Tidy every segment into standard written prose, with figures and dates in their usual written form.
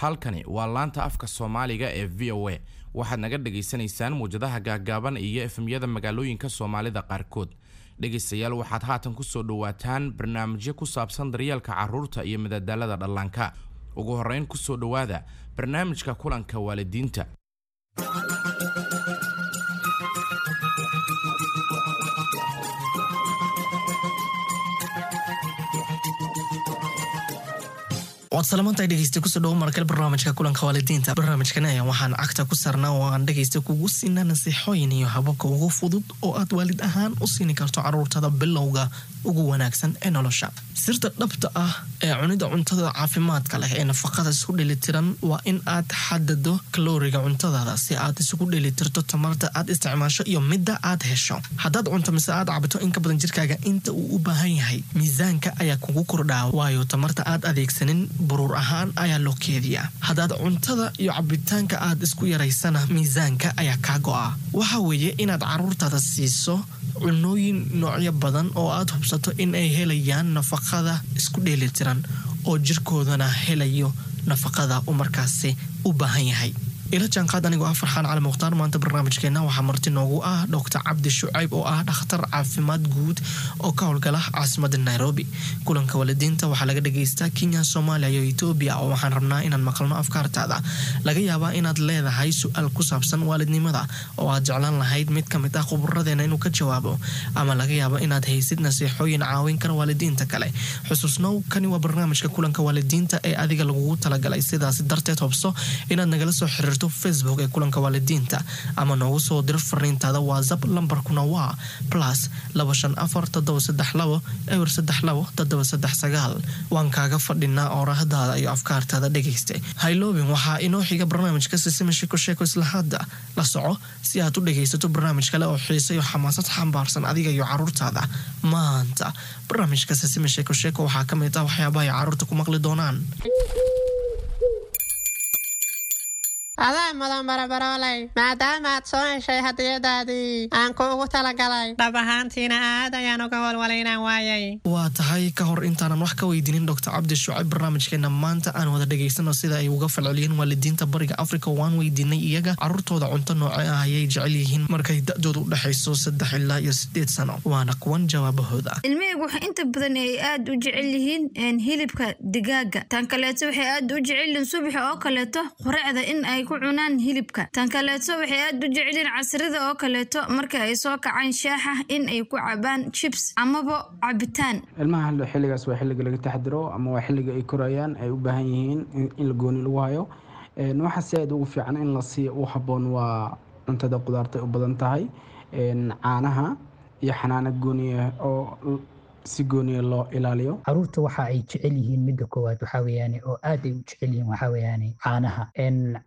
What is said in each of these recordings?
Halkani waa laanta afka Soomaaliga ee VOA. Waxaad naga dhagaysanaysaan muwjadaha gaaggaaban iyo FM-yada magaalooyinka Soomaalida qaarkood. Dhegaystayaal, waxaad haatan kusoo dhawaataan barnaamijyo ku saabsan daryeelka carruurta iyo madadaalada dhallaanka. Ugu horreyn, kusoo dhowaada barnaamijka kulanka waalidiinta. Waad salamantahay, dhegeysta. Kusoo dhawo markale barnaamijka kulanka waalidiinta. Barnaamijkan ayaa waxaan cagta ku saarnaa oo aan dhegeysta kugu siinaa nasiixooyin iyo hababka ugu fudud oo aad waalid ahaan u siini karto caruurtada bilowga ugu wanaagsan ee nolosha. Sirta dhabta ah ee cunida cuntada caafimaadka leh ee nafaqada isku dheelitiran waa in aad xadado kalooriga cuntadaada si aad isugu dheelitirto tamarta aad isticmaasho iyo midda aad hesho. Haddaad cunto mise aad cabto in ka badan jirkaaga inta uu u baahan yahay, miisaanka ayaa kugu kordhaa, waayo tamarta aad adeegsanin buruur ahaan ayaa loo keediyaa. Haddaad cuntada iyo cabitaanka aad isku yaraysana, miisaanka ayaa kaa go'a. Waxa weeye inaad caruurtaada siiso cunooyin noocyo badan oo aad hubsato in ay helayaan nafaqada isku dheelitiran oo jirkoodana helayo nafaqada uu markaasi u baahan yahay. Ila jaanqaad anigoo ah Farxaan Cali Mukhtaar. Maanta barnaamijkeena waxaa marti noogu ah Doctor Cabdi Shucayb oo ah dhakhtar caafimaad guud oo ka howlgala caasimada Nairobi. Kulanka waalidiinta waxaa laga dhageystaa Kenya, Soomaaliya iyo Etoobiya, oo waxaan rabnaa inaan maqalno afkaartaada. Laga yaabaa inaad leedahay su-aal ku saabsan waalidnimada oo aad jeclaan lahayd mid ka mid ah khuburadeena inuu ka jawaabo, ama laga yaabo inaad haysid nasiixooyin caawin kara waalidiinta kale. Xusuusnow, kani waa barnaamijka kulanka waalidiinta ee adiga lagugu talagalay. Sidaasi darteed, hubso inaad nagala soo xiriirto Facebook ee kulanka waalidiinta ama noogu soo diro fariintaada WhatsApp. Lambarkuna waa +254 732 032 739. Waan kaaga fadhinaa oorahdaada iyo afkaartaada, dhegayste. Hayloobin, waxaa inoo xiga barnaamijka Sisima Sheko Sheeko. Isla hadda la soco si aad u dhegaysato barnaamij kale oo xiise iyo xamaasad xambaarsan adiga iyo caruurtaada. Maanta barnaamijka Sisima Sheeko Sheeko waxaa ka mid ah waxyaabaha ay caruurta ku maqli doonaan. Adaa mudan, barabarooley, maadaama aad soo heshay hadiyadaadii aan kuugu talagalay. Dhab ahaantiina aad ayaan uga walwalay inaan waayay. Waa tahay. Ka hor intaanan wax ka weydiinin Doctor Cabdi Shucayb barnaamijkeena maanta, aan wada dhegaysano sida ay uga falceliyeen waalidiinta Bariga Africa. Waan weydiinay iyaga caruurtooda cunto nooce ah ayay jecel yihiin markay da-doodu u dhexayso 3 ilaa iyo 8 sano. Waana kuwan jawaabahooda. Ilmahaygu waxay inta badan ay aad u jecel yihiin hilibka digaaga. Tan kaleeto, waxay aad u jecel yihiin subaxa oo kaleeto quraacda in ay ku cunaan hilibka. Tan kaleeto, waxay aad u jecel yihiin casrida oo kaleeto marka ay soo kacaan shaaxa in ay ku cabaan chips amaba cabitaan. Ilmaha xilligaas waa xilliga laga taxadiro ama waa xilliga ay korayaan, ay u baahan yihiin in la gooni lagu hayo. Waxa si aad ugu fiican in la siiyo u habboon waa cuntada qudaarta u badan tahay, caanaha iyo xanaano gooniya oo si gooniya loo ilaaliyo. Caruurta waxa ay jecel yihiin, midda koowaad waxaa weeyaane oo aad ay u jecel yihiin, waxaa weeyaane caanaha.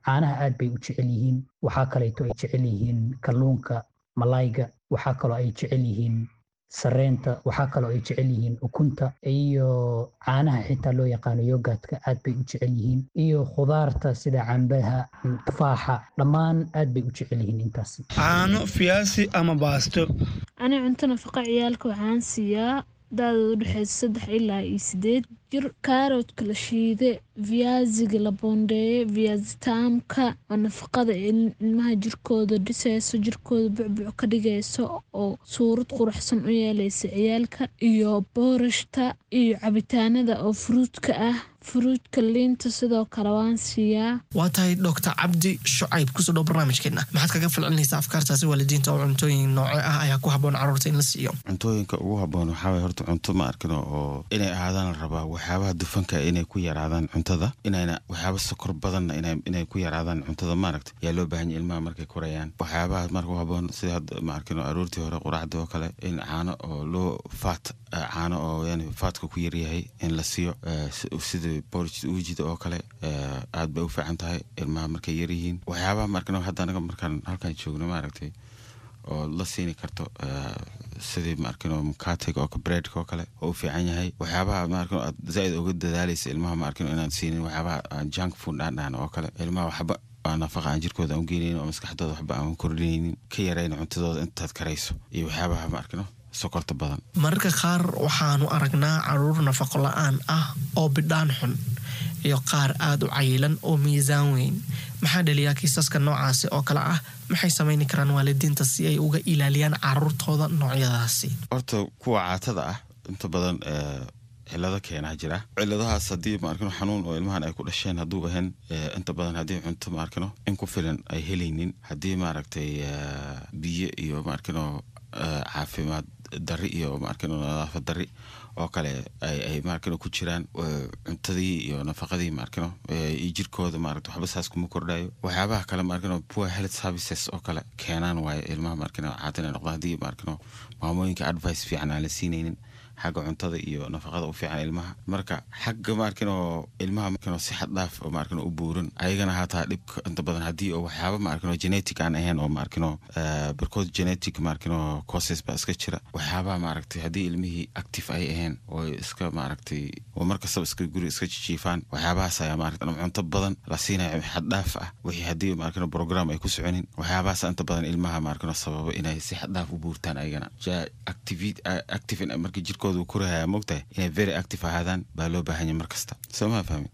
Caanaha aad bay u jecel yihiin. Waxaa kaleeto ay jecel yihiin kalluunka, malayga. Waxaa kaloo ay jecel yihiin sareenta. Waxaa kaloo ay jecel yihiin ukunta iyo caanaha xitaa loo yaqaano yogurtka, aad bay u jecel yihiin, iyo khudaarta sida cambaha, tufaaxa, dhammaan aad bay u jecel yihiin intaas. Caano, fiyaasi ama baasto. Ani cunto nafaqa ciyaalka waxaan siiyaa da-dooda udhexeysa 3 ilaa iyo 8 jir kaaroodka la shiide, viaziga la boondeeye, viazi taamka oo nafaqada ilmaha jirkooda dhiseyso, jirkooda bucbuc ka dhigeyso oo suurad quruxsan u yeeleysa ciyaalka, iyo boorashta iyo cabitaanada oo fruitka ah, fruitka, liinta sidoo kale waan siiyaa. Waa tahay. Doctor Cabdi Shucayb, kusoo dhow barnaamijkeena. Maxaad kaga falcelinaysaa afkaartaasi waalidiinta oo cuntooyin nooce ah ayaa ku habboon caruurta in la siiyo? Cuntooyinka ugu habboon waxaa waye horta cunto, ma arkin, oo inay ahaadaan la rabaa waxyaabaha dufanka inay ku yaraadaan cuntada, inayna waxyaaba sokor badanna inay ku yaraadaan cuntada, maaragta, yaa loo baahan yahay ilmaha markay korayaan. Waxyaabaha marka u habboon sida hadda, ma arkin, aroortii hore quraacda oo kale in caano oo loo fat, caano oo yani fatka ku yaryahay in la siiyo, sida porridge uujida oo kale, aad bay u fiican tahay ilmaha markay yaryihiin. Waxyaabaha, ma arkin, hadda anaga markaan halkaan joogno, maaragtay, oo la siini karto sidii, ma arkin, mukatega oo breadka oo kale oo u fiican yahay. Waxyaabaha, ma arkin, aad zaaid uga dadaalaysa ilmaha, ma arkin, inaad siinin waxyaabaha junk food aan dhahno oo kale. Ilmaha waxba nafaqa aan jirkooda aan u geenaynin oo maskaxdooda waxba aan kordhinaynin, ka yarayn cuntadooda intaad karayso, iyo waxyaabaha, ma arkino, sokorta badan. Mararka qaar waxaanu aragnaa caruur nafaqo la-aan ah oo bidhaan xun. Iyo qaar aada u cayilan oo miisaan weyn. Maxaa dhaliyaa kiisaska noocaasi oo kale ah? Maxay samayni karaan waalidiinta si ay uga ilaaliyaan caruurtooda noocyadaasi? Horta kuwa caatada ah inta badan cilado keenaa jira. Ciladahaas haddii, maarkino, xanuun oo ilmahan ay ku dhasheen hadduu ahayn, inta badan haddii cunto, maarkino, in ku filan ay helaynin, haddii, maaragtay, biyo iyo, maarkino, caafimaad dari iyo, maarkino, nadaafad dari oo kale ay, maarkino, ku jiraan cuntadii iyo nafaqadii, maarkino, iyo jirkooda, maaragta, waxba saas kuma kordhayo. Waxyaabaha kale, maarkino, poor health services oo kale keenaan waaye ilmaha, maarkino, caata inay noqdaan, haddii, maarkino, maamooyinka advice fiican aan la siinaynin xagga cuntada iyo nafaqada u fiican ilmaha. Marka xagga, maarkino, ilmaha, maarkino, si xad dhaaf oo, maarkino, u buuran ayagana hataa dhibka inta badan haddii oo waxyaaba, maarkino, genetic aan ahayn oo, maarkino, barkood genetic, maarkino, causes baa iska jira. Waxyaabaha, maaragtay, haddii ilmihii active ay ahayn oo iska, maaragtay, oo markastaba iska guri iska jijiifaan, waxyaabahaas ayaa, maaragtay, ama cunto badan la siinayo xad dhaaf ah, wixii haddii, maarkino, program ay ku soconin, waxyaabahaas inta badan ilmaha, maarkino, sababa inay si xad dhaaf u buurtaan. Ayagana ja active markii jirkooda uu korahaya, mogtahay, inay very active ahaadaan baa loo baahan yahay mar kasta. Soo ma fahmin?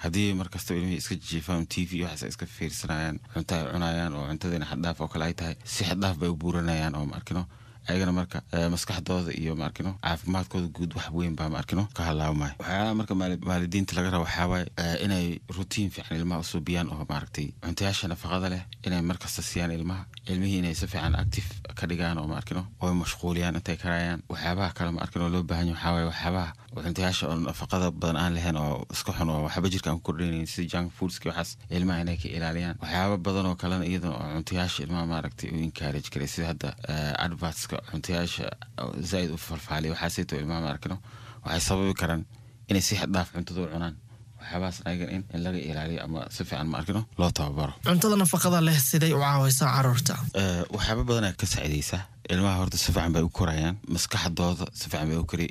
Haddii mar kasta ilmihii iska jiifaan, TV waxaas ay iska fiirsanayaan, cunto ay cunayaan oo cuntadiina xaddhaaf oo kale ay tahay, si xaddhaaf bay u buuranayaan oo, maarkino, ayagana marka maskaxdooda iyo, maarkino, caafimaadkooda guud wax weyn baa, maarkino, ka halaabmaya. Waxyaalaha marka waalidiinta laga rabo waxaa waaye inay routine fiican ilmaha u suubiyaan oo, maaragtay, cuntayaasha nafaqada leh inay markasta siiyaan ilmaha, ilmihii inay si fiican active ka dhigaan oo, maarkino, oo mashquuliyaan intay karayaan. Waxyaabaha kale, maarkino, loo baahan yahay waxaa waaye waxyaabaha oo cuntayaasha oo nafaqada badan aan lahayn oo iska xun oo waxba jirka aan ku kordhinaynin, sida junk foodski, waxaas ilmaha inay ka ilaaliyaan. Waxyaaba badan oo kalena iyadana oo cuntayaasha ilmaha, maaragtay, u encourage karay, sida hadda advertska cuntayaasha zaaid u falfaaliya, waxaasayto ilmaha, maarkino, waxay sababi karaan inay si xad dhaaf cuntada u cunaan. Waxyaabahaas ayagan in laga ilaaliyo ama si fiican, maarkino, loo tababaro. Cuntada nafaqada leh siday u caawaysaa caruurta? Waxyaaba badan ayaa ka saacidaysa ilmaha. Horta si fiican bay u korayaan, maskaxdooda si fiican bay u kori,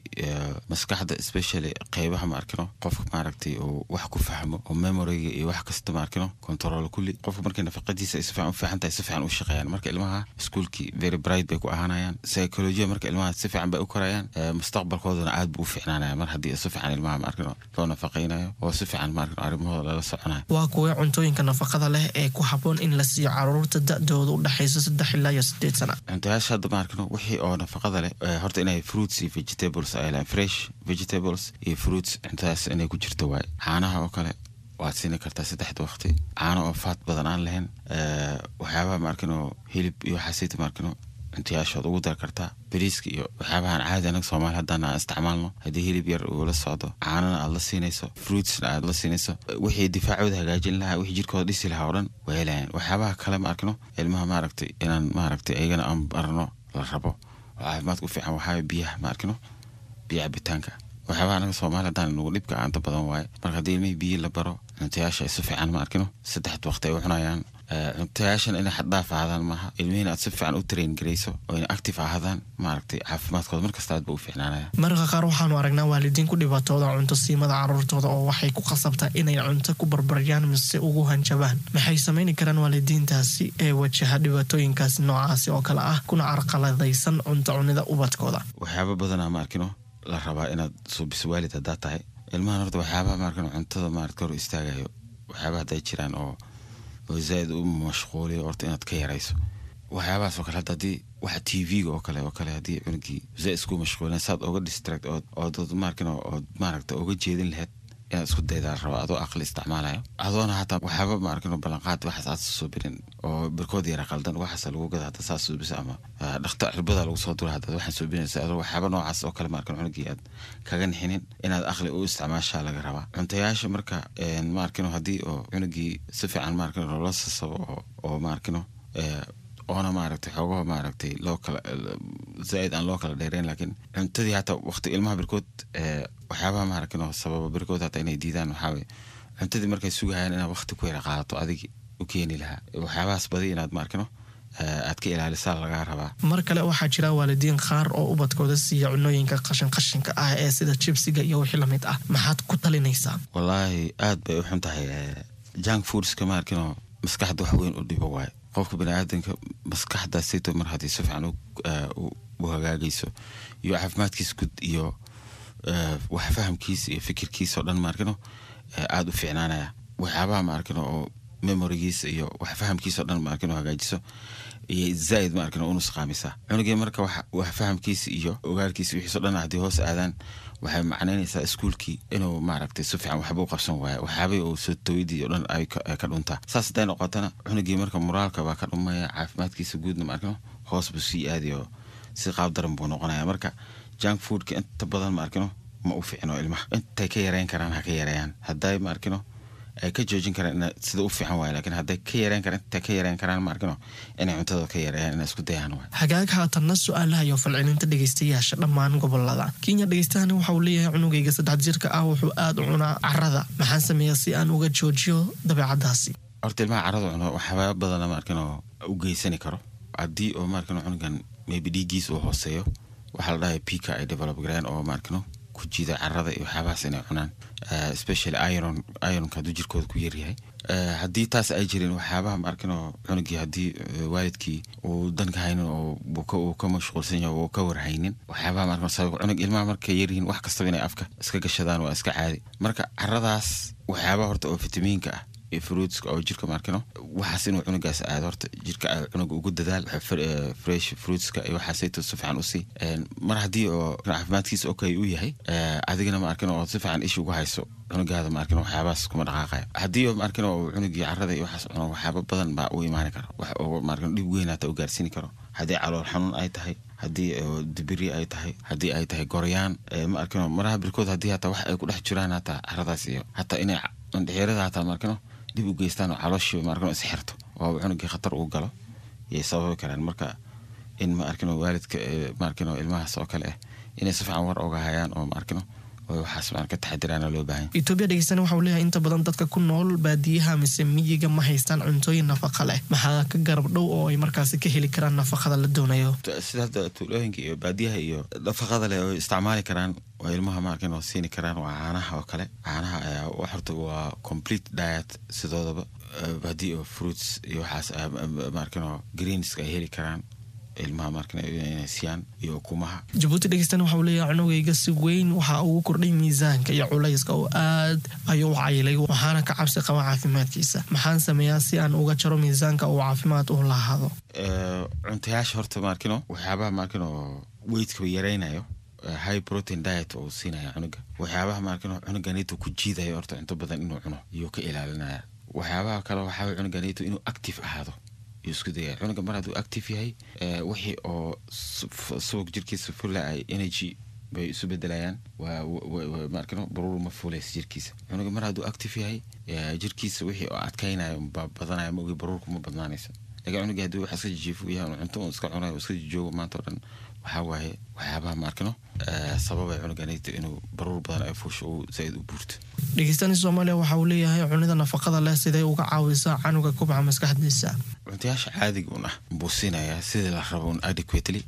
maskaxda especially qeybaha, maarkino, qofka, maaragtay, uu wax ku fahmo oo memoryga iyo wax kasta, maarkino, control kulli. Qofka markay nafaqadiisa ay si fiican u fiican tahay, si fiican u shaqeeyaan. Marka ilmaha iskuulkii very bright bay ku ahaanayaan, psychology marka ilmaha si fiican bay u korayaan, mustaqbalkoodana aad buu u fiicnaanaya mar haddii si fiican ilmaha, maarkino, loo nafaqaynayo oo si fiican, maarkino, arrimahooda lala soconayo. Waa kuwee cuntooyinka nafaqada leh ee ku habboon in la siiyo caruurta da-dooda u dhexayso 3 ilaa iyo 8 sana? Cuntayaasha hadda, maarkino, wixii oo nafaqada leh, horta inay fruits iyo vegetables ay leeyihiin, fresh vegetables iyo fruits, cuntadaas inay ku jirto waaye. Caanaha oo kale waad siini kartaa saddexda waqti, caano oo fat badan aan lahayn. Waxyaabaha, maarkino, hilib iyo waxaasayta, maarkino, cuntayaashood ugu dar kartaa. Bariiska iyo waxyaabahan caadi anaga Soomaali haddaan aan isticmaalno, haddii hilib yar uu la socdo, caanana aad la siinayso, fruitsna aad la siinayso, wixii difaacooda hagaajin lahaa, wixii jirkooda dhisi lahaa oo dhan way helayaan. Waxyaabaha kale, maarkino, ilmaha, maaragtay, inaan, maaragtay, ayagana aan barno la rabo oo caafimaadka u fiican waxaa biyaha, maarkino, biyo cabitaanka. Waxyaabaha anaga Soomaali haddaan nugu dhibka aanta badan waaye. Marka haddii ilmihii biyo la baro, cuntayaasha ay si fiican, maarkino, saddexda waqti ay u cunayaan, cuntayaashan inay xad dhaaf ahaadaan maaha, ilmihiina aad si fiican u train garayso oo inay active ahaadaan, maaragtay, caafimaadkooda markasta aad ba u fiicnaanaya. Mararka qaar waxaanu aragnaa waalidiin ku dhibaatooda cunto siimada caruurtooda oo waxay ku khasabtaa inay cunto ku barbaryaan mise ugu hanjabaan. Maxay samayni karaan waalidiintaasi ee wajaha dhibaatooyinkaasi noocaasi oo kale ah kuna carqaladaysan cunto cunida ubadkooda? Waxyaaba badanaa, maarkino, la rabaa inaad suubiso waalid haddaad tahay ilmahan. Horta waxyaabaha, maarkino, cuntada, maaragta, hor istaagayo, waxyaabaha hadday jiraan oo zaaid u mashquuliyo, horta inaad ka yarayso waxyaabahaas oo kale. Hadda haddii waxa TV-ga oo kale haddii cunugii zaaid isku mashquulin, saad oga distract ood, maarkino, ood, maaragta, oga jeedin lahayd inaad isku daydaa la rabaa, adoo aqli isticmaalayo, adoona hataa waxyaaba, maarkino, ballanqaad waxaas aad soo birin oo barkood yara qaldan waxaas lagu gada. Hadda saas suubisa ama dhakhtar cirbada lagu soo dura haddaad waxaan suubinaysa, adoo waxyaaba noocaas oo kale, maarkino, cunugii aad kaga nixinin, inaad aqli u isticmaashaa laga rabaa cuntayaasha. Marka, maarkino, haddii oo cunugii si fiican, maarkino, loola sasabo oo, maarkino, oona, maaragtay, xoogaha, maaragtay, loo kala zaaid aan loo kala dheereyn, laakiin cuntadii hataa waqti ilmaha birkood, waxyaabaha, maaragtay, sababa birkood hataa inay diidaan waxaa waye cuntadii markay sugayaan inaad waqti ku yara qaadato adigi u keeni lahaa. Waxyaabahaas badi inaad, maarkino, aad ka ilaalisaa lagaa rabaa. Mar kale waxaa jira waalidiin qaar oo ubadkooda siiya cunooyinka qashin qashinka ah ee sida jibsiga iyo wixii lamid ah. Maxaad ku talinaysaa? Wallaahi aad bay u xun tahay junk foodska, maarkino, maskaxda wax weyn u dhibo waaye. Qofka baniaadanka maskaxdaasayto mar haddii si fiican u hagaagayso iyo caafimaadkiisa guud iyo wax fahamkiisa iyo fikirkiisa oo dhan, maarkino. Aada u fiicnaanaya waxyaabaha, ma arkin, oo memorigiisa iyo wax fahamkiisa o dhan, ma arkin, oo hagaajiso iyo zaaid, ma arkin, oo u nusqaamisaa cunugii. Marka wax fahamkiisa iyo ogaalkiisa wixiiso dhan haddii hoos aadaan, waxay macnaynaysaa iskuulkii inuu, maaragtay, si fiican waxba u qabsan waayo, waxyaabihii uu soo tawidii o dhan ay ka dhuntaa. Saas hadday noqotana, cunugii marka moraalka baa ka dhumaya, caafimaadkiisa guudna, ma arkino, hoos buu sii aadayo, si qaab daran buu noqonaya. Marka junk foodka inta badan, ma arkino, ma u fiicno ilmaha. Intay ka yareyn karaan ha ka yareeyaan. Hadday, ma arkino, ay ka joojin karaan, ina sida u fiican waay, laakiin hadday ka yareyn karaan, intay ka yareyn karaan, ma arkino, inay cuntada ka yareeyaan, inay isku dayaan waay. Hagaag, haatanna su-aalaha iyo falcelinta dhegeystayaasha dhammaan gobolada Kenya. Dhegeystahani waxa uu leeyahay: cunugayga 3 jirka ah wuxuu aada u cunaa carada, maxaan sameeyaa si aan uga joojiyo dabeecadaasi? Horta ilmaha carada cuno waxyaaba badana, ma arkino, u geysani karo. Haddii oo, ma arkino, cunugan maybe dhiiggiisa uu hooseeyo, waxaa la dhahay pica ay develop gareen oo, ma arkino, ku jiida carada iyo waxyaabahaas inay cunaan, especially iron. Ironka hadduu jirkooda ku yaryahay, haddii taas ay jirin, waxyaabaha, ma arkino, cunugii haddii waalidkii uu danka haynin oo uu ka mashquulsan yahay oo ka warhaynin waxyaabaha, ma arkino, sabab cunug ilmaha markay yaryihiin wax kastaba inay afka iska gashadaan waa iska caadi. Marka caradaas waxyaabaha horta oo fitamiinka ah iyo fruitska oo jirka, ma arkino, waxaas inuu cunugaas aado horta jirka cunuga ugu dadaal fresh fruitska iyo waxaasayto si fiican usii. Mar haddii oo caafimaadkiisa okay u yahay, adigana, ma arkino, oo si fiican isha ugu hayso cunugaada, ma arkino, waxyaabahaas kuma dhaqaaqayo. Haddii oo, ma arkino, oo cunugii carada iyo waxaas cuno, waxyaaba badan baa u imaani kara, wax oo, ma arkino, dhib weyn hata u gaarsiini karo. Haddii calool xanuun ay tahay, haddii dibiri ay tahay, haddii ay tahay goryaan, ma arkino, maraha birkood haddii hataa wax ay ku dhex jiraan hataa caradaas iyo hataa inay indhexeerada hataa, ma arkino, dib u geystaan oo calooshii, ma arkino, is xirto oo cunugii khatar uu galo yay sababi karaan. Marka in, ma arkino, waalidka, ma arkino, ilmahaas oo kale ah inay si fiican war oga hayaan oo, ma arkino, oo waxaas ma ka taxadiraana loo baahan. Etoobiya dhegeystana waxa uu leeyahay: inta badan dadka ku nool baadiyaha mise miyiga ma haystaan cuntooyin nafaqa leh, maxaa ka garab dhow oo ay markaasi ka heli karaan nafaqada la doonayo? Sida hadda tuulooyinka iyo baadiyaha iyo nafaqada leh oo isticmaali karaan oo ilmaha, ma arkin, oo siini karaan waa caanaha oo kale. Caanaha ayaa horta waa complete diet sidoodaba. Haddii oo fruits iyo waxaas, ma arkin, oo greenska ay heli karaan ilmaha, ma arkin, inay siiyaan iyo ukumaha. Jabuuti dhegeystana waxa uu leeyahay: cunugayga si weyn waxa ugu kordhay miisaanka iyo culayska oo aad ayuu u cayilay, waxaana ka cabsi qaba caafimaadkiisa. Maxaan sameeyaa si aan uga jaro miisaanka uu caafimaad u lahaado? Cuntayaasha horta, ma arkino, waxyaabaha, ma arkino, weightka yaraynayo, high protein diet oo siinaya cunuga. Waxyaabaha, ma arkino, cunuganito ku jiidayo horta cunto badan inuu cuno iyuu ka ilaalinaya. Waxyaabaha kale waxaa cunuganito inuu active ahaado iyo isku dayaya. Cunuga mar hadduu active yahay, wixii oo subag jirkiisa fula ay energy bay isu bedelayaan, waa, ma arkino, baruur ma fuulaysa jirkiisa. Cunuga mar hadduu active yahay, jirkiisa wixii oo adkaynayo baa badanaya, ma ogi, baruurku ma badnaanayso. Laakiin cunuga haddii wax iska jijiifo yahay, cunto uu iska cunayo, iska joogo maanta oo dhan, waxaa waaye waxyaabaha, ma arkino, sababay cunuganayta inuu baruur badan ay fuusho uu zaaid u buurto. Dhegeystani Soomaaliya waxa uu leeyahay: cunida nafaqada leh siday uga caawisaa canuga kubca maskaxdiisa? Cuntayaasha caadiga un ah buu siinayaa sidii la rabo un adequately,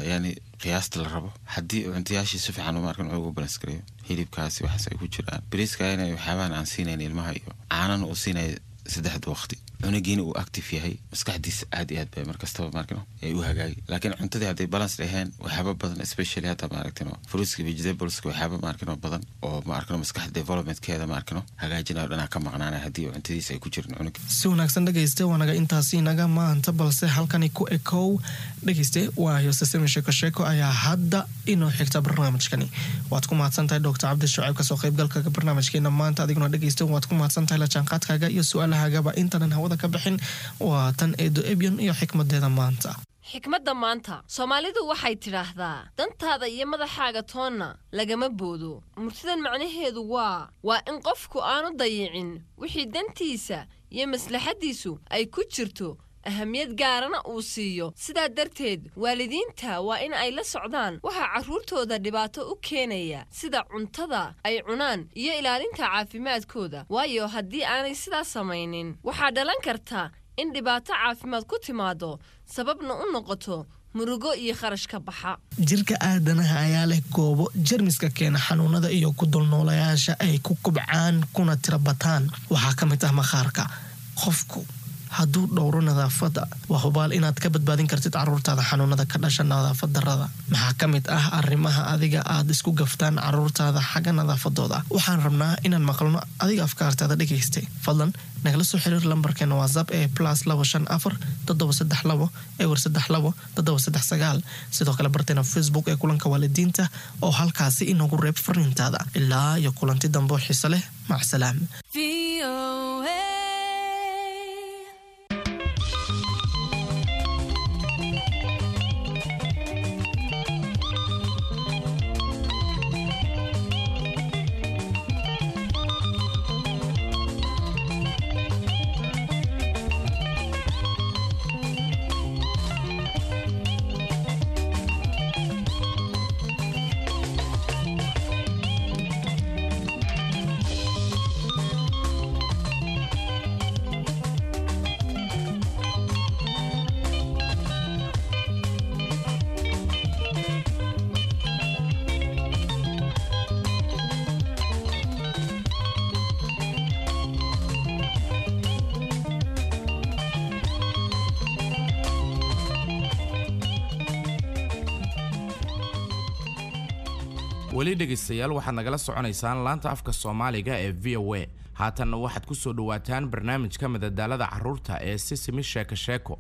yani qiyaasta la rabo. Haddii cuntayaashii si fiican, ma arkin, ugu balance gareeyo, hilibkaasi waxaas ay ku jiraan, bariiska inay waxyaabahan aan siinayn ilmaha iyo caanana uu siinaya saddexda waqti, cunugiina uu active yahay, maskaxdiisa aad iyo aad bay markastaba, maarkino, ay u hagaagi. Laakiin cuntadii hadday balance ahayn, waxyaaba badan, especially hadda, maaragtino, fruitska, vegetables-ka, waxyaaba, maarkino, badan oo, maarkino, maskaxda developmentkeeda, maarkino, hagaajinayo dhanaa ka maqnaanaya haddii cuntadiisa ay ku jirin cunuga. Si wanaagsan dhegeyste, waanaga intaasi inaga maanta, balse halkani ku ekow dhegeyste, waayo sasemi sheeko sheeko ayaa hadda inoo xigta barnaamijkani. Waad ku mahadsan tahay Doctor Cabdi Shucayb kasoo qaybgalka barnaamijkeena maanta. Adiguna dhegeyste waad ku mahadsan tahay la jaanqaadkaaga iyo su-aalahagaba. Intaanan hawada ka bixin, waa tan Eedo Ebyon iyo xikmadeeda maanta. Xikmadda maanta, Soomaalidu waxay tidhaahdaa: dantaada iyo madaxaaga toonna lagama boodo. Murtidan macnaheedu waa in qofku aanu dayicin wixii dantiisa iyo maslaxaddiisu ay ku jirto, ahamiyad gaarana uu siiyo. Sidaa darteed waalidiinta waa in ay la socdaan waxaa carruurtooda dhibaato u keenaya, sida cuntada ay cunaan iyo ilaalinta caafimaadkooda, waayo haddii aanay sidaas samaynin waxaa dhalan karta in dhibaato caafimaad ku timaado, sababna u noqoto murugo iyo kharash ka baxa. Jirka aadanaha ayaa leh goobo jermiska keena xanuunada iyo ku dulnoolayaasha ay ku kubcaan kuna tira bataan. Waxaa ka mid ah maqaarka qofku. Hadduu dhowro nadaafadda, waa hubaal inaad ka badbaadin kartid caruurtaada xanuunada ka dhasha nadaafad darrada. Maxaa ka mid ah arrimaha adiga aad isku gaftaan caruurtaada xagga nadaafadooda? Waxaan rabnaa inaan maqalno adiga afkaartaada, dhegaystay. Fadlan nagala soo xiriir lambarkeena WhatsApp ee +254 732 032 739. Sidoo kale barteena Facebook ee Kulanka Waalidiinta oo halkaasi inoogu reeb fariintaada. Ilaa iyo kulanti dambe oo xiise leh, macsalaam. Weli dhegaystayaal, waxaad nagala soconaysaan laanta afka Soomaaliga ee VOA. Haatanna waxaad ku soo dhowaataan barnaamijka madadaalada carruurta ee Sisimi Sheeko Sheeko.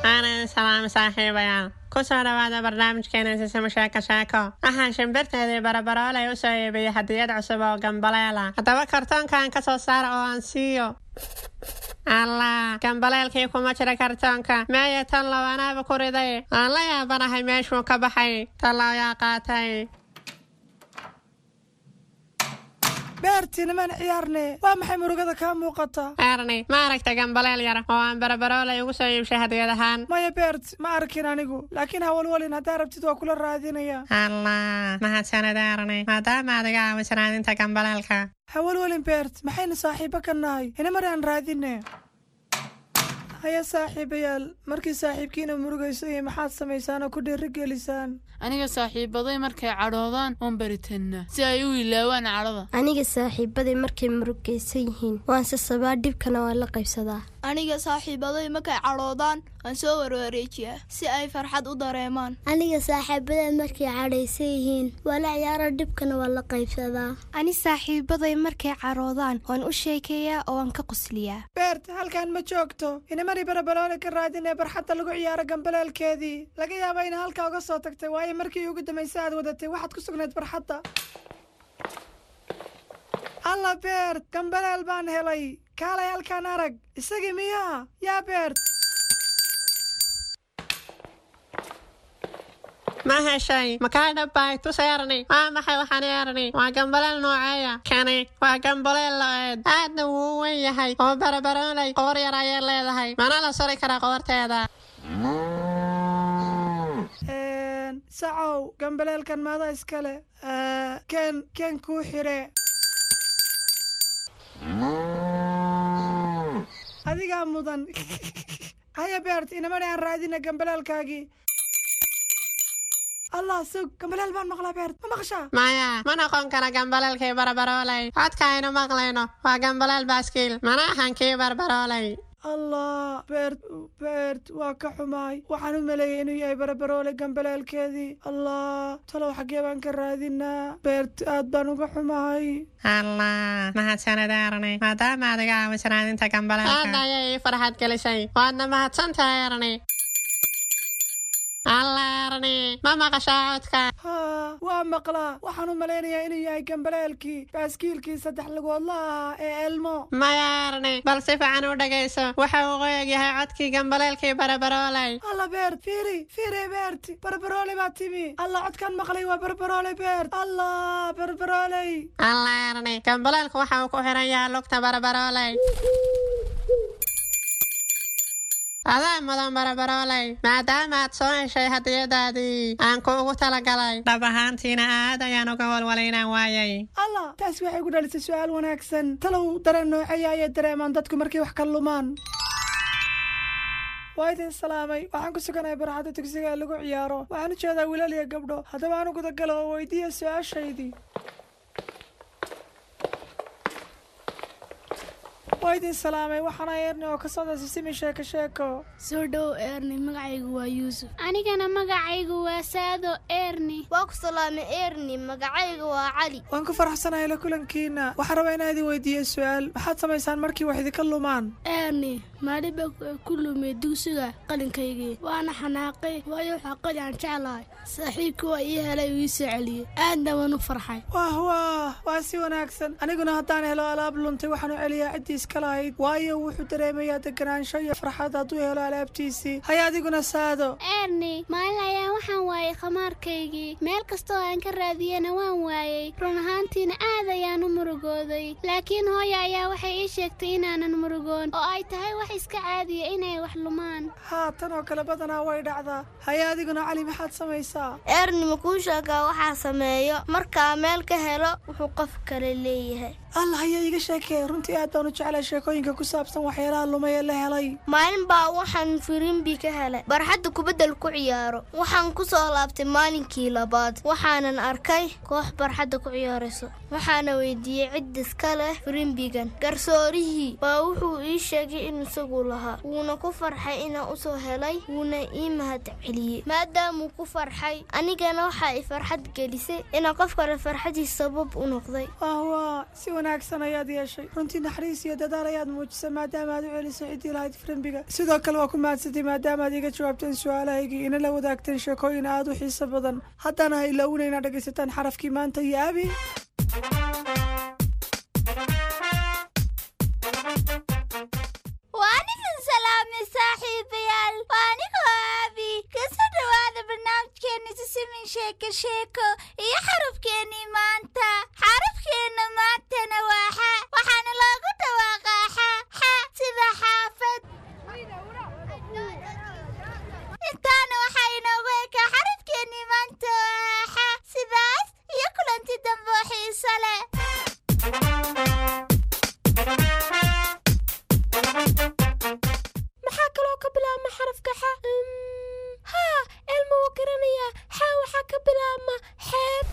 Aanan salaam saaxiibayaal, ku soo dhawaada barnaamijkeena Sisimo Sheeko Sheeko. Waxaan shimbirteedii Barabaroolay u soo iibiyey hadiyad cusub oo gambaleela. Haddaba kartoonkan ka soo saara oo aan siiyo. Allah, gambaleelkii kuma jira kartoonka. Meeya tan low? Anaaba ku riday. Aan la yaabanahay meeshuu ka baxay. Tallow yaa qaatay? Beertii, nimaan ciyaarne. Waa maxay murugada kaa muuqata? Erni, ma aragta gambaleel yar oo aan Barabaroolay ugu soo iibshay hadiyad ahaan? Maya Beert, ma arkin anigu, laakiin hawalwalin, haddaa rabtid waa kula raadinaya. Allah, mahadsanid Erni, maadaama aad iga caawiso raadinta gambaleelka. Hawalwalin Beert, maxaynu saaxiibo ka nahay? Inamar aan raadine. Haya saaxiibayaal, markii saaxiibkiina murugayso iyo maxaad samaysaan oo ku dhiirigelisaan? Aniga saaxiibaday markay cadhoodaan waan baritannaa si ay u ilaawaan cadhada. Aniga saaxiibaday markay murugaysan yihiin waan sasabaa, dhibkana waan la qaybsadaa. Aniga saaxiibaday markay cadhoodaan waan soo warwareejiyaa si ay farxad u dareemaan. Aniga saaxiibaday markay cadhaysan yihiin waa la ciyaaro, dhibkana waan la qaybsadaa. Ani saaxiibaday markay cadhoodaan waan u sheekeeyaa oo waan ka qosliyaa. Beert, halkan ma joogto. Inamari Barabaloole ka raadinee barxadda lagu ciyaaro gambaleelkeedii. Laga yaaba ina halkaa uga soo tagtay, waayo markii ugu dambaysay aad wadatay waxaad ku sugnayd barxadda. Alla Beert, gambaleel baan helay. Kaalay halkaan arag. Isagii miyaa yaa Beert? Ma heshay? Makaa dhabbay? Tus Erni. Waa maxay waxaan Erni? Waa gambaleel nooceeya kani? Waa gambaleel lo'eed, aadna wuu u weyn yahay oo Barabaroolay qoor yar ayay leedahay, mana la suri karaa qoorteeda? Sacow, gambaleelkan maada iskale? Ken ken kuu xire. Adigaa mudan. Haya Beert, inamani aan raadina gambaleelkaagii. Allah, sug, gambaleel baan maqlaa. Beert, ma maqashaa? Maya, ma noqon kara gambaleelkii Barabaroolay. Codka aynu maqlayno waa gambaleel baaskiil, mana ahan kii Barbaroolay. Allah Beert, Beert, waa ka xumaay. Waxaan u maleeyay inuu yahay Barabaroole gambaleelkeedii. Allah, talow xaggee baan ka raadinaa? Beert, aad baan uga xumahay. Allah, mahadsanid Erni, maadaama aad iga caawiso raadinta gambaleelka. Aad ayay ii farxad gelisay, waadna mahadsantahay Erni. Allah Erni, ma maqashaa codka? Haa, waa maqlaa. Waxaan u malaynayaa inuu yahay gambaleelkii baaskiilkii saddex lugoodla ahaa ee Elmo. Maya Erni, bal si fiican u dhegayso. Waxa uu qoyag yahay codkii gambaleelkii Barabaroolay. Alla Beert, fiiri fiiri. Beert, Barbaroole baa timi. Alla, codkan maqlay waa Barbaroole. Beert, allah, Barbarooley. Allah Erni, gambaleelku waxa uu ku xiran yahay lugta Barabaroolay. Adaa mudan Barabarooley, maadaama aad soo heshay hadiyadaadii aan kuugu talagalay. Dhab ahaantiina aad ayaan uga walwalay inaan waayay. Allah, taasi waxay ku dhalisay su'aal wanaagsan. Talow dareen nooceeya ayay dareemaan dadku markay wax ka lumaan? Waa idin salaamay. Waxaan ku suganahay barxadda dugsiga ee lagu ciyaaro. Waxaan u jeedaa wiilal iyo gabdho. Haddaba aan u gudagalo oo weydiiya su-aashaydii. Waa idin salaamay. Waxaana Eerni oo ka socda Sisimi Sheeko Sheeko. Soo dhow Eerni, magacaygu waa Yuusuf. Anigana magacaygu waa Saado Eerni. Waa ku salaamay Eerni, magacayga waa Cali. Waan ku faraxsanahay la kulankiina. Waxaan rabaa inaan idin weydiiyo su-aal. Maxaad samaysaan markii wax idinka lumaan? Eerni, maalin baa ku lumay dugsiga qalinkaygii, waana xanaaqay, waayo waxaa qalin aan jeclahay. Saaxiibkii waa ii helay uu ii soo celiyey, aadna waan u farxay. Wah wah, waa si wanaagsan. Aniguna haddaan helo alaab luntay, waxaan u celiyaa ciddii iska lahayd, waayo wuxuu dareemayaa deganaansho iyo farxad hadduu helo alaabtiisii. Haya, adiguna Saado? Eerni, maalin ayaa waxaan waayay khamaarkaygii. Meel kastoo aan ka raadiyena waan waayey. Run ahaantiina aad ayaan u murugooday, laakiin hooya ayaa waxay ii sheegtay inaanan murugoon oo ay tahay wax iska caadiya inay wax lumaan. Haa, tan oo kale badanaa way dhacdaa. Haya, adiguna Cali, maxaad samaysaa? Eerni, ma kuu sheegaa waxaa sameeyo markaa meel ka helo wuxuu qof kale leeyahay? Allah, ayaa iiga sheekee. Runtii aad baan u jeclay sheekooyinka ku saabsan waxyaalaha lumay ee la helay. Maalin baa waxaan firimbi ka helay barxadda kubaddal ku ciyaaro. Waxaan ku soo laabtay maalinkii labaad, waxaanan arkay koox barxadda ku ciyaarayso. Waxaana weydiiyey cid iska leh firimbigan. Garsoorihii baa wuxuu ii sheegay in isagu lahaa, wuuna ku farxay inaan usoo helay, wuuna ii mahad celiyey maadaamuu ku farxay. Anigana waxaa i farxad gelisay inaan qof kale farxadiis sabab u noqday. Wah, si wanaagsan ayaad yeeshay. Runtii naxariis iyo dadaal ayaad muujisay maadaama aad u celisay ciddii lahayd firimbiga. Sidoo kale waa ku mahadsantay maadaama aad iga jawaabteen su-aalahaygii, ina la wadaagteen sheekooyin aad u xiiso badan. Haddana ha ilaawina inaad dhegaysataan xarafkii maanta iyo Abi. Waan idin salaamay saaxiibayaal, waa anigoo Aabi. Kasoo dhowaada barnaamijkeena Sisimin Sheeko Sheeko iyo xarafkeennii maanta. Xarafkeenna maantana waa xa, waxaana loogu dhawaaqaa xa xa, sida xaafad. Intaana waxaa inoogu ekaa xarafkeennii maanta oo ah xa. Sidaas iyo kulanti dambe oo xiiso leh. Maxaa kaloo ka bilaabma xarafka xa? Haa, Elma wuu garanayaa. Xa waxaa ka bilaabma xeeb.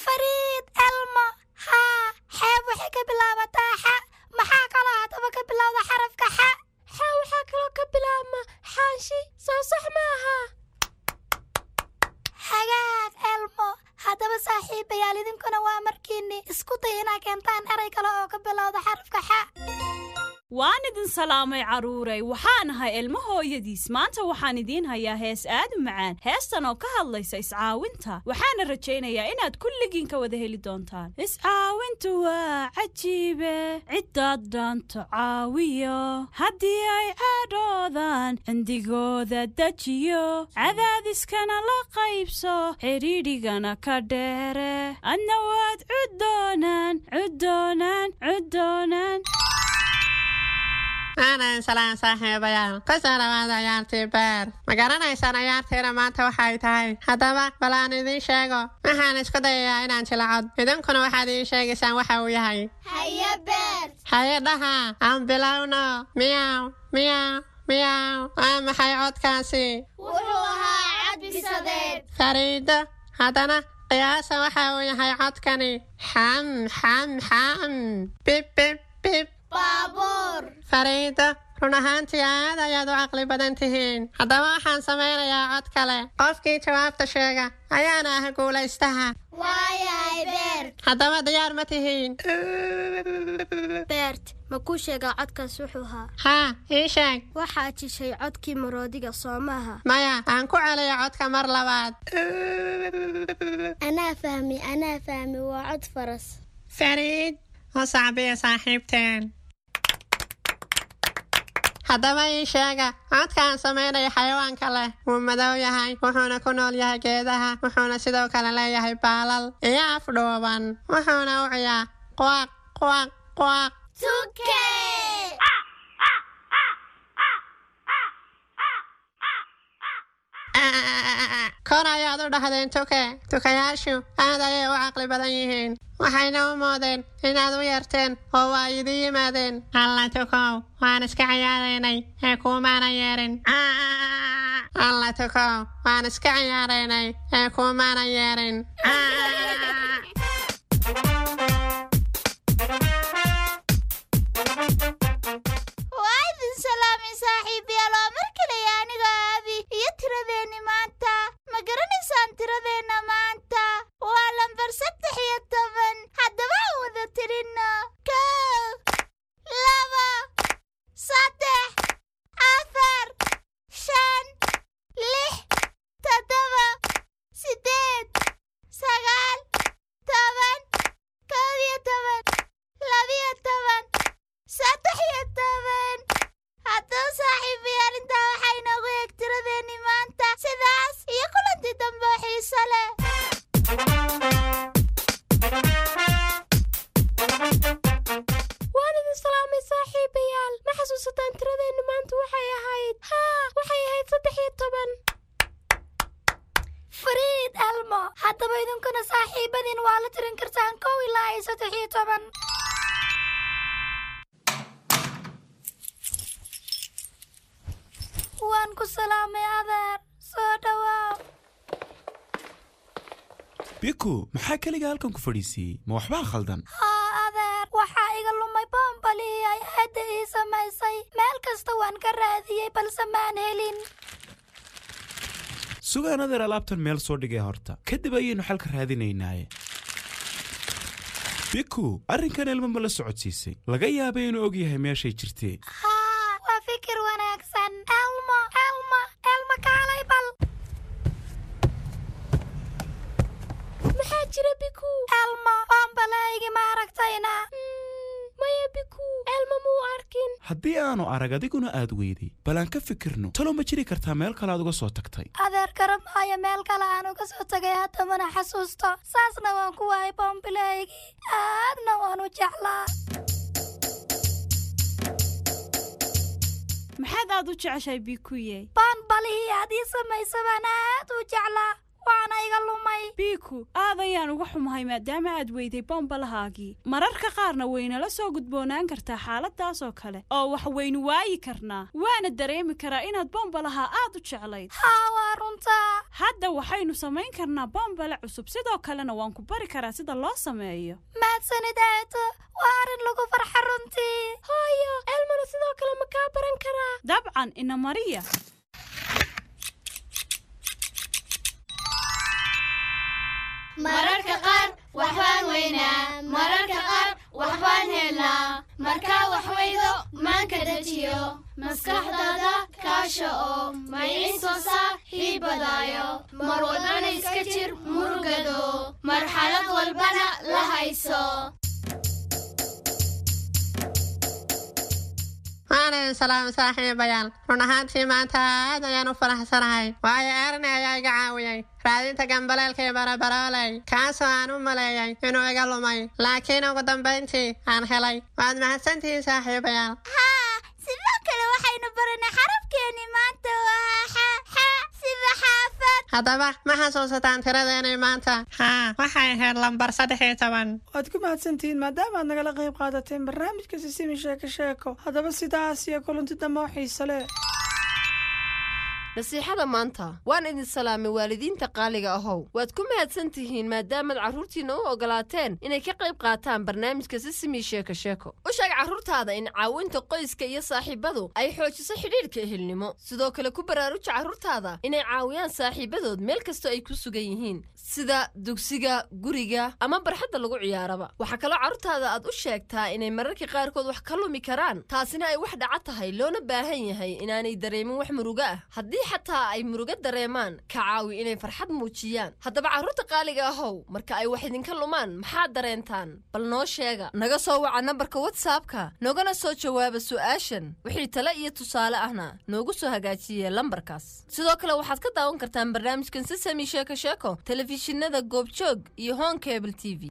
Fariid Elmo, haa, xeeb waxay ka bilaabataa xa. Maxaa kaloo haddaba ka bilowda xarafka xa? Xa waxaa kaloo ka bilaabma xaanshi, soo sax maaha? Hagaag Elmo. Haddaba saaxiibayaal, idinkuna waa markiinni isku day inaa keentaan eray kale oo ka bilowda xarafka xa. Waan idin salaamay carruuray. Waxaan ahay Ilmo hooyadiis. Maanta waxaan idiin hayaa hees aad u macaan, heestan oo ka hadlaysa iscaawinta. Waxaana rajaynayaa inaad kulligiin ka wada heli doontaan. Iscaawintu waa cajiibe, ciddaad dhaanto caawiyo, haddii ay cadhoodaan cindigooda dejiyo, cadaadiskana la qaybso, xidhiidhigana ka dheere, adna waad cudoonaan cudoonaan cudoonaan. Aanan salaan saaxiibayaal, kusoo dhawaada ciyaartii beer. Ma garanaysaan ciyaartiina maanta waxay tahay? Haddaba bal aan idiin sheego. Waxaan isku dayayaa inaan jilacod, idinkuna waxaad ii sheegaysaan waxa uu yahay. Haye Beer. Haye dhaha, aan bilowno. Miyaw miyaw miyaw, waa maxay codkaasi? Wuxuu ahaa cad bisadeed. Fariido, haddana qiyaasa waxa uu yahay codkani. Xam xam xam, bib bib bib. Baabuur. Fariido, run ahaantii aad ayaad u caqli badan tihiin. Haddaba waxaan samaynayaa cod kale. Qofkii jawaabta sheega ayaana ah guulaystaha. Waayahay Beert. Haddaba diyaar ma tihiin? Beert, ma kuu sheegaa codkaas wuxuu ahaa? Haa, ii sheeg. Waxaad jishay codkii maroodiga, soo maaha? Maya, aan ku celiyo codka mar labaad. Anaa fahmi, anaa fahmi, waa cod faras. Fariid, u sacbiya saaxiibteen. Haddaba ii sheega codka aan samaynayo xayawaanka leh. Wuu madow yahay, wuxuuna ku nool yahay geedaha, wuxuuna sidoo kale leeyahay baalal iyo af dhuuban, wuxuuna u ciyaa quaq quaq quaq. Tuke. Kor ayaad u dhahdeen tuke. Tukayaashu aad ayay u caqli badan yihiin, waxayna u moodeen inaad u yeerteen oo waa idin yimaadeen. Alla tukow, waan iska ciyaaraynay ee kuumaana yeerin. Alla tukow, waan iska ciyaaraynay ee kuumaana yeerin. Waa idin salaamay saaxiibayaal, waa mar kale aniga Aabi iyo tiradeenni maanta. Ma garanaysaan tiradeenna maanta? Waa lambar 13. Haddaba aan wada tirinno: 1, 2, 3, 4, 5, 6, 7, 8, 9, 10, 11, 12, 13. Haddaba saaxiibayaal, intaa waxaa inoogu eeg tiradeenni maanta. Sidaas iyo kulantii dambe oo xiiso leh. Waan idin salaamay saaxiibayaal. Ma xasuusataan tiradeennu maanta waxay ahayd? Haa, waxay ahayd 13. Fariid, Elmo, haddaba idinkuna saaxiibadiin waa la tirin kartaan 1 ilaa iyo 13. Waan ku salaamay adeer, soo dhawaaw. Biku, maxaa keliga halkan ku fadhiisiiyey? Ma waxbaa khaldan? Haa adeer, waxaa iga lumay boombalihii ay aadda ii samaysay. Meel kasta waan ka raadiyey balse maan helin. Sugaan adeer, alaabtan meel soo dhigay horta, kadib ayaynu xalka raadinaynaaye. Biku, arrinkan Elmo ma la socodsiisay? Laga yaabay inuu og yahay meeshay jirtee. Haa, waa fikir wanaagsan. Elmo, Elmo, Elmo, kaalay bal. Maxaa jira, Biku? Elmo, boombalahaygi ma aragtayna? Maya Biku, Elmo muu arkin. Haddii aanu arag adiguna aad weyday, bal aan ka fikirno. Talow ma jiri kartaa meel kale aad uga soo tagtay? Adeer, garamaayo meel kale aan uga soo tagay, hadda mana xasuusto. Saasna waan ku waayay boombilahaygii, aadna waan u jeclaa. Maxaad aad u jeceshahay, Bikuye? Boonbalihii aad ii samaysa baan aad u jeclaa, waana iga lumay. Biku, aad ayaan uga xumahay maadaama aad weyday bombalahaagii. Mararka qaarna waynala soo gudboonaan kartaa xaaladaas oo kale oo wax waynu waayi karnaa, waana dareemi karaa inaad bombalaha aad u jeclayd. Haa, waa runtaa. Hadda waxaynu samayn karnaa bombale cusub, sidoo kalena waan ku bari karaa sida loo sameeyo. Mahadsanid aato, waa arrin lagu farxa runtii. Hooyo, Elmona sidoo kale ma kaa baran karaa? Dabcan, ina mariya. Mararka qaar waxbaan weynaa, mararka qaar waxbaan helnaa. Markaa wax weydo, maanka dejiyo, maskaxdaada kaasha oo mayciin saaxiibadaayo. Mar walbana iska jir murugado, marxalad walbana la hayso. Waan idin salaamay saaxiibayaal. Run ahaantii maanta aad ayaan u faraxsanahay, waayo Erni ayaa iga caawiyey raadinta gambaleelkii barabarooley, kaasoo aan u maleeyay inuu iga lumay, laakiin ugu dambayntii aan helay. Waad mahadsantihiin saaxiibayaal. Haa, sidoo kale waxaynu baranay xarafkeenni maanta waa xa, xa sida xaafad. Haddaba ma xasuusataan tiradeenii maanta? Haa, waxay ahayd lambar 13. Waad ku mahadsantihiin maadaama aad nagala qayb qaadateen barnaamijka Sisimi Sheeko Sheeko. Haddaba sidaas iyo kulanti dambe oo xiiso leh. Nasiixada maanta. Waan idin salaamay waalidiinta qaaliga ahow. Waad ku mahadsan tihiin maadaamaad carruurtiinna u ogolaateen inay ka qayb qaataan barnaamijka Sisimi Sheeko Sheeko. U sheeg carruurtaada in caawinta qoyska iyo saaxiibadu ay xoojiso xidhiidhka ehelnimo. Sidoo kale ku baraaruja carruurtaada inay caawiyaan saaxiibadood meel kastoo ay ku sugan yihiin, sida dugsiga, guriga ama barxadda lagu ciyaaraba. Waxaa kaloo carruurtaada aad u sheegtaa inay mararka qaarkood wax ka lumi karaan, taasina ay wax dhaca tahay, loona baahan yahay inaanay dareemin wax murugo ah. Haddii xataa ay murugo dareemaan, ka caawi inay farxad muujiyaan. Haddaba carruurta qaaliga ahow, marka ay wax idinka lumaan maxaad dareentaan? Bal noo sheega. Naga soo waca nambarka WhatsAppka, noogana soo jawaaba su'aashan. Wixii tale iyo tusaale ahna noogu soo hagaajiye lambarkaas. Sidoo kale waxaad ka daawan kartaan barnaamijkan Sisami Sheeko Sheeko telefishinada Goobjoog iyo Hon Cable TV.